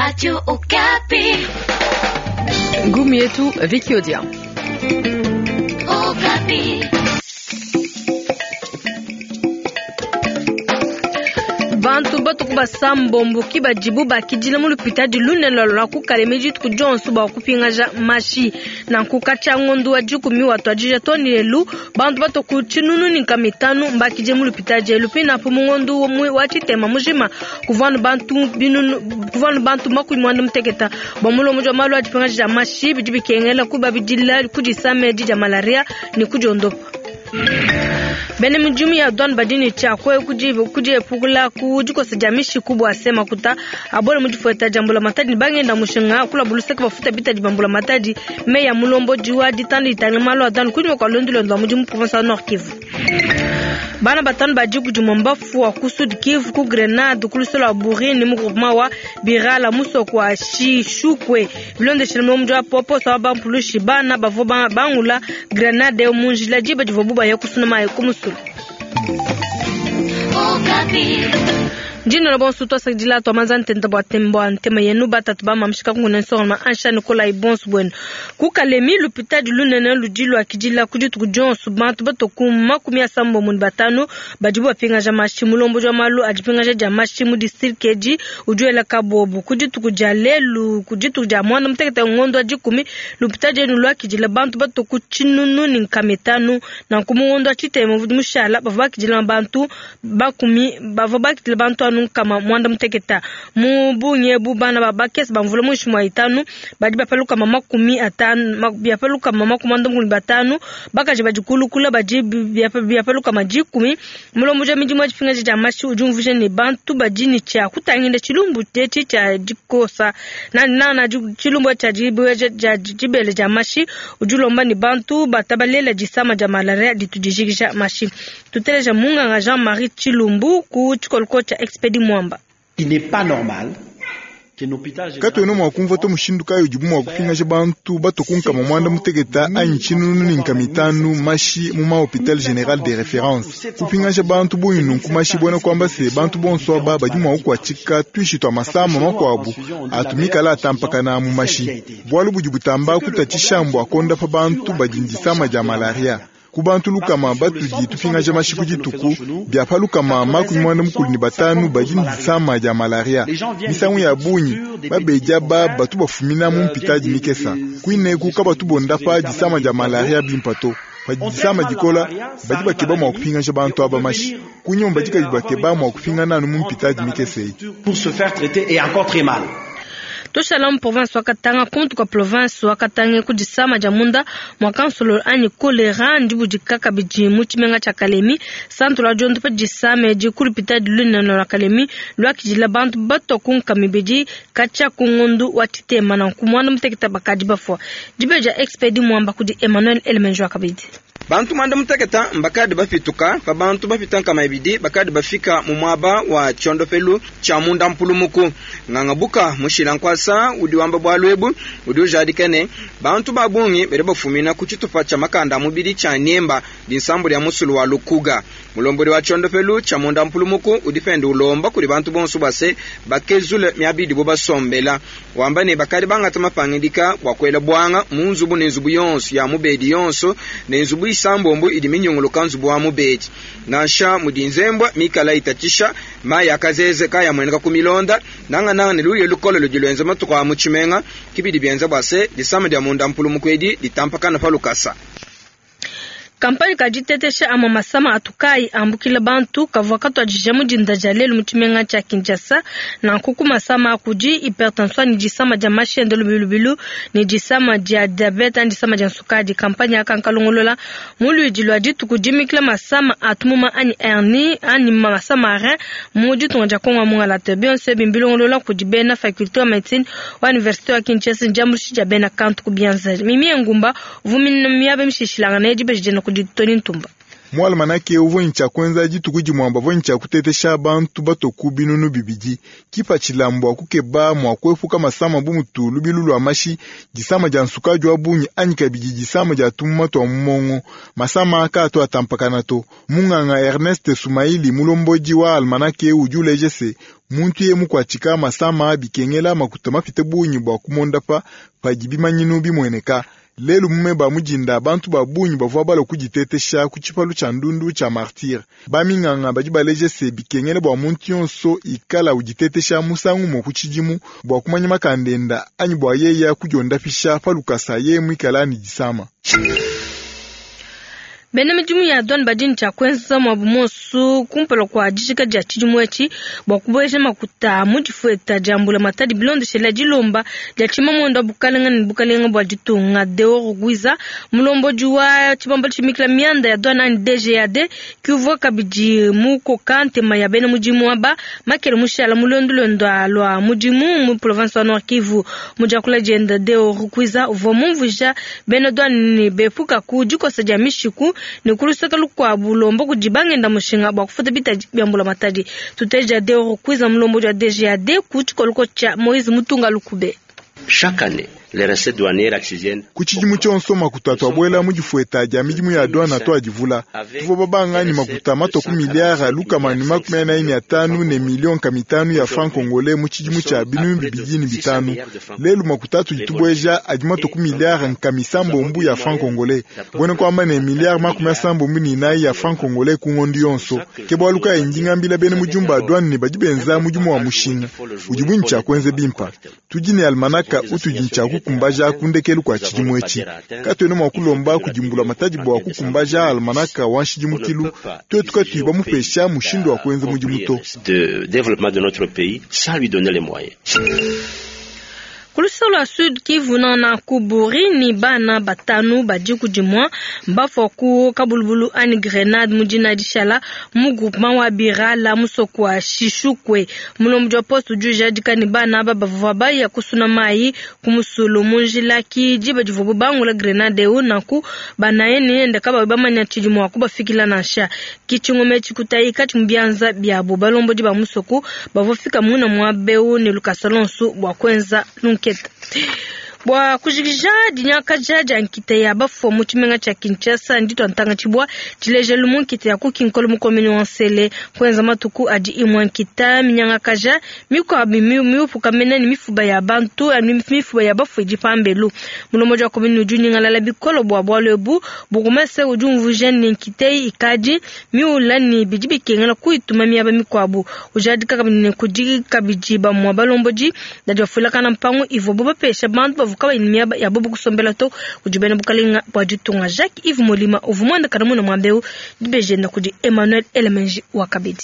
Radio Okapi. Ngumu yetu Vicky Odia. Okapi. Bantu batuku basambombo ki badibu bakidila mu lupitadi lunene lua lua ku Kalemi dituku dionso bua kupingaja mashi. Nanku katshia ngondo wa dikumi watuadija too ne lelu, bantu batue ku tshinunu ne nkama itanu mbakidile mu lupitadi elu. Pinapu mu ngondo wa tshitema mujima kuvua anu bantu binunu, kuvua anu bantu makumi muanda muteketa. Bua mulombodi wa malu a dipingaja dia mashi, bidi bikengela kubabidila ku disama edi dia malaria ne kudiondopa. Bena midimu ya douane badi ne tshia kudiepukula ku dikosa dia mishiku bua se makuta abole mu difueta dia mbulamatadi ne bangenda mushinga kulabu luseke bafuta bitadi bia mbulamatadi. Meyi a mulombodi wa ditanda ditangila malu a douane kunyima kua luendu luende lua mudimu province wa Nord Kivu. Bana batanu ba diku dimue mbafua ku Sud Kivu ku Grenade ku luseke lua Burini mu groupement wa Birala musoko wa Shishukwe. Bilondeshile mulombodi wa poposo wa bampulushi, bana bavua bangula grenade eu mu njila diba divuabu baya kusuna mayi ku musulu. Ndinona bonso tuasakidila tuamanza ntenta bua temba ntema yenu batatu ba mamshika kunguna nsonga ansha Nikolai bonso buenu. Ku Kalemi lupitadi lunene ludi luakidila ku dituku dionso bantu batue ku makumi asambombo ne batanu badibu bapingaja mashi. Mulombodi wa malu a dipingaja dia mashi mu distrike edi udi wela kabobu ku dituku dia lelu, ku dituku dia muanda mutekete ngondo wa dikumi, lupitadi elu luakidila bantu batue ku tshinunu ne nkama itanu. Nanku mu ngondo wa tshitema udi mushala bavua bakidila bantu bakumi, bavua bakidila bantu anu nkama muanda mutekete. Mu bungi ebu bana ba bakese ba mvula muinshi mua itanu badi bapa lukama makumi atanu, biapa lukama makumi muanda mukulu ne batanu, bakaji badi kulukula badi biapa lukama dikumi. Mulombodi wa midimu ya dipingaja dia mashi udi umvuija ne, bantu badi ne tshia kutangila tshilumbu etshi tshia dikosa nanana tshilumbu tshia dibueja dia dibele dia mashi. Udi ulomba ne bantu batabalela disama dia malaria ditu dijikija mashi. Tuteleja munganga Jean-Marie Tshilumbu ku tshikoloko tshia Expedi Mwamba. Il n'est pas normal. Katuena mua kumvua to mushindu kayi udibu mua kupingaja bantu batue ku nkama muanda muteketa anyi tshinunu ne nkama itanu mashi mu ma hopital general de reference. Kupingaja bantu bungi nunku mashi buena kuamba se bantu bonso aba badi mua kukuatshika tuishi tua masama makuabu atu mikala atampakana mu mashi. Bualu budi butamba kutatshisha mbua kuondapa bantu badi ne disama dia malaria. Ku bantu lukama batudi tupingaja mashi ku dituku, bia pa lukama makumi muanda mukulu ne batanu badi ne disama dia malaria. Misangu ya bungi babedi aba batu bafumina mu mpitadi mikesa. Kuineku kabatu bondapa disama dia malaria bimpa to. Padi disama dikola, badi bakeba mua kupingaja bantu aba mashi. Kunyima badi kabidi bakeba mua kupingana anu mu mpitadi mikese eyi. Pour se faire traiter et encore très mal. Tushala mu province wa Katanga kuntu kua province wa Katanga ku disama dia munda mua kansololo anyi kolera ndibudika kabidi mu tshimenga tshia Kalemi. Santu lua diondopa disama edi ku lupitadi lunene lua Kalemi luakidila bantu batua ku nkama ibidi katshia ku ngondu wa tshitema nanku muanda mutekete bakadi bafua. Dibeji dia Expedi Muamba kudi Emmanuel Elemenjua kabidi. Bantu muanda muteketa mbakadi bapituka pa bantu bapita nkama ibidi bakadi bafika mu muaba wa tshiondopelu tshia munda mpulumuku. Nganga Buka mushila nkuasa udi wamba bualu ebu udi ujadika ne, bantu ba bungi badi bafumina ku tshitupa tshia makanda a mubidi tshia Niemba, dinsambu dia musulu wa Lukuga. Mulombodi wa tshiondopelu tshia munda mpulumuku udi pende ulomba kudi bantu bonso bua se bakezule miaba idibo basombela. Wamba ne, bakadi bangata mapangidika bua kuela buanga mu nzubu ne nzubu yonso ya mubedi yonso ne nzubu isambombo idi minyunguluka nzubu wa mubedi. Nansha mudi nzembua mikala itatshisha, mayi a kazeze kaayamueneka ku milonda, nangananga ne luya lukole ludi luenza matuku aa mu tshimenga, ke bidi bienza bua se, disama dia munda mpulumuku edi ditampakane pa lukasa. Kampanye ka ditetesha amue masama atu kaayi ambukila bantu kavua katuadija mu dinda dia lelu mu tshimenga tshia Kinshasa. Nanku ku masama a kudi hypertension ne disama dia mashi enda lubilu lubilu ne disama dia diabete anyi disama dia nsukadi. Kampanye aka nkalongolola mu luidi lua dituku dimikila masama a tumuma anyi hernie anyi masama a rein mu ditunga dia Congo wa mungalata. Bionso ebi mbilongolola kudi bena faculte wa medecine wa universite wa Kinshasa ne diambuluisha dia bena kantu ku bianza. Mimie Ngumba Uvua miaba mishilashilangane dibeji dienda kudi Tony Ntumba. Mu almanake uvua ne tshia kuenza dituku dimue bavua ne tshia kutetesha bantu batue ku 2000. Kipatshila mbua kukeba mua kuepuka masama bu mutu lubilu lua mashi, disama dia nsukadi wa bungi anyi kabidi disama dia tumuma tua mu mongo. Masama kaatu atampakana to. Munganga Ernest Sumaili mulombodi wa almanake udi uleja se muntu ye mukuatshika masama bikengela makuta mapite bungi bua kumondapa padi bimanyinu bimueneka. Lelu mume ba mujinda bantu ba bungi bavua balua kuditetesha ku tshipalu tshia ndundu tshia Martyr. Baminganga badi baleja se bikengela bua muntu yonso ikala uditetesha musangu umue ku tshidimu bua kumanya makanda enda anyi bua yeya kudiondapisha pa lukasa ye muikala ne disama. Bena midimu ya douane badi ne tshia kuenza muabu muonso kumpala kua dijika dia tshidimu etshi bua kubueja makuta mu difueta dia mbulamatadi bilondeshela dilomba dia tshimamuende wa bukalenga ne bukalenga bua ditunga. Deo Rugwiza, mulombodi wa tshibambalu tshimikila mianda ya douane anyi DGAD, ki uvua kabidi mukoka ntema ya bena mudimu aba makele mushala mu luendu luenda lua mudimu mu province wa Nord Kivu. Mu diakula dienda, Deo Rugwiza uvua mumvuija bena douane ne bepuka ku dikosa dia mishiku ne ku luseke lukuabu lomba kudi bangenda mushinga bua kufuta bitadi bia mbulamatadi. Tuteja Deo Rugwiza, mulombodi wa DGAD, ku tshikoloko tshia Moise Mutunga Lukube. Chaque année, les recettes douanières accigiennes Ku tshidimu tshionso makuta atuabuela mu difueta dia midimu ya douane atuadivula. Tuvua babanga ni makuta matue ku miliyari 145 ne miliyoni 500 ya franc congolais mu tshidimu tshia 2005. Lelu makuta atudi tubueja adi matue ku miliyari 700 ya franc congolais. Buena kuamba ne miliyari 74 ya franc congolais ku ngondo yonso. Ke bualu kayi ndi ngambila bena mudimu ba douane ne badi benza mudimu wa mushinga udi bungi tshia kuenza bimpa. Tudi ne almanaka utudi ne tshia kukumbaja ku ndekelu kua tshidimu etshi. Katuena mua kulomba kudi mbulamatadi bua kukumbaja almanaka wa nshidimukilu tuetu katuyi bamupesha mushindu wa kuenza mudimu to. de développement de notre pays sans lui donner les moyens. Ku luseke lua Sud Kivu, nana kuburi ni bana batanu badi kudimua mbafua ku kabulubulu ani grenade mu dina dishala mu groupement wa Birala musoko wa Shishukwe. Mulombodi wa poste udi ujadika ne bana aba bavua baya kusuna mayi ku musulu mu njila ki diba divuabu bangula grenade eu, nanku banaye ne enda kabayi bamanya tshidi mua kubafikila nansha. Ki tshingoma etshi kutayika tshi mu bianza biabu. Balombodi ba musoko bavua fika muna muaba eu ne lukasa lonso bua kuenza lunketa. Bua kujikija dinyakaja dia nkita ya bafua mu tshimenga tshia Kinshasa, nditua ntanga tshibua tshilejelu mu nkita ya ku Kinkole mu commune wa Nsele. Kuenza matuku adi imue nkita minyangakaja, mikuabu miupuka mene ne mifuba ya bantu, mifuba ya bafua idi pambelu. Mulombodi wa commune udi unyingalala bikole bua bualu ebu. Bourgmestre udi umvuija ne nkita eyi ikadi miula ne bidi bikengela kuyituma miaba mikuabu. Ujadika kabidi ne kudi kabidi bamue balombodi badi bafuilakana mpangu ivuabu bapesha bantu bavua kabayi ne miaba ya bobu kusombela to kudi bena bukalenga bua ditunga. Jacques Yves Molima uvua muendakana muna muaba eu, dibejenda kudi Emmanuel Elemenji wa kabidi.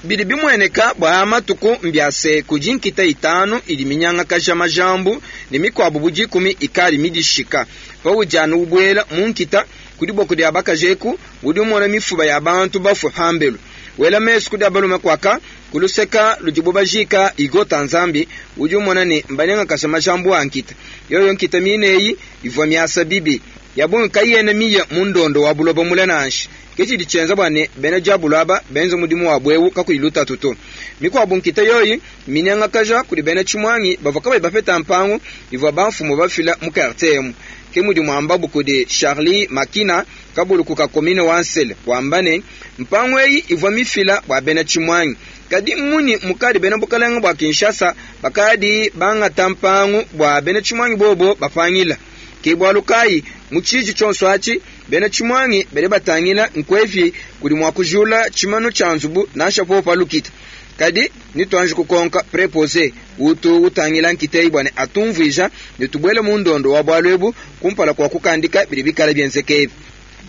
Bidi bimueneka bua matuku mbiase kudi nkita 5 idi minyangakaja majambu ne mikuabu bu 10 ikali midishika. Paudi anu ubuela mu nkita kudi boko dia bakajeku udi umona mifuba ya bantu bafue pambelu. Wela mesu kudi abalume kwaka kuluseka ludibu bajika igota nzambi udi umona ne mbanyangakaja majambu a nkita. Yoyo nkita mineyi ivua miasa bibi yabungi kayena miye mu ndondo wa buloba mule nansha. Ke tshidi tshienza bua ne bena diabulu aba benze mudimu wa bwewu kakuyi lutatu to. Mikuabu nkita yoyi minyangakaja kudi bena tshimwangi bavua kabayi bapeta mpangu ivua bamfumu bafila mu quartier emu. Ke mudi muambabu kudi Charlie Makina kabuluku ka commune wa Nsele wamba ne mpangu eyi ivua mifila bua bena tshimwangi. Kadi mmunyi mukadi bena bukalenga bua Kinshasa bakadi bangata mpangu bua bena tshimwangi bobo bapangila. Ke bualu kayi mu tshiji tshionso atshi bena tshimwangi badi batangila nkwevi kudi mua kujula tshimanu tshia nzubu nansha popo lukita. Kadi nituanji kukonka preposé utu utangila nkita eyi bua ne atumvuija ne tubuele mu ndondo wa bualu ebu kumpala kua kukandika bidi bikala bienzeke ebi.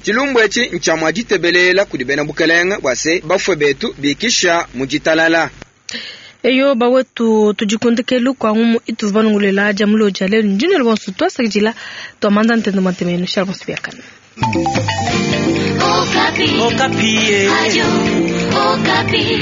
Tshilumbu etshi ntshia mua ditebelela kudi bena bukalenga bua se bafue betu bikisha mu ditalala. Eyo bawetu tudikundikelu kwa ngumu itu vanungulela dia mulo dia lelu ndine lwonso twasakidila twamanda ntendo matemeno shala bonso biakana. Okapi. Okapi. Radio Okapi.